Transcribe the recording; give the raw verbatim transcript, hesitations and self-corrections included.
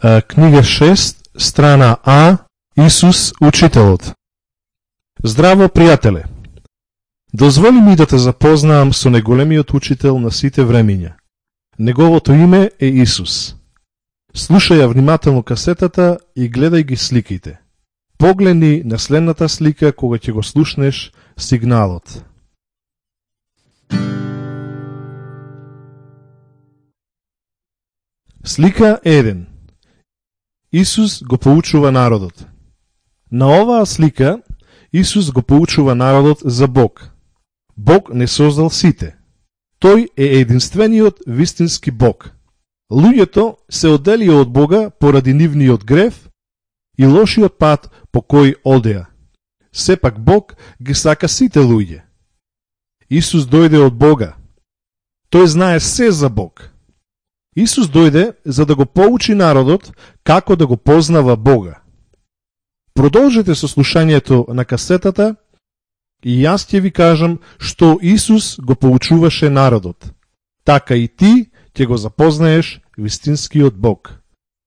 Книга шест, страна А, Исус Учителот. Здраво, пријателе! Дозволи ми да те запознаам со најголемиот учител на сите времиња. Неговото име е Исус. Слушај ја внимателно касетата и гледај ги сликите. Погледни на следната слика кога ќе го слушнеш сигналот. Слика еден. Исус го поучува народот. На оваа слика Исус го поучува народот за Бог. Бог не создал сите. Тој е единствениот вистински Бог. Луѓето се одделија од Бога поради нивниот грев и лошиот пат по кој одеа. Сепак Бог ги сака сите луѓе. Исус дојде од Бога. Тој знае се за Бог. Исус дојде за да го поучи народот како да го познава Бога. Продолжете со слушањето на касетата и јас ќе ви кажам што Исус го поучуваше народот. Така и ти ќе го запознаеш вистинскиот Бог.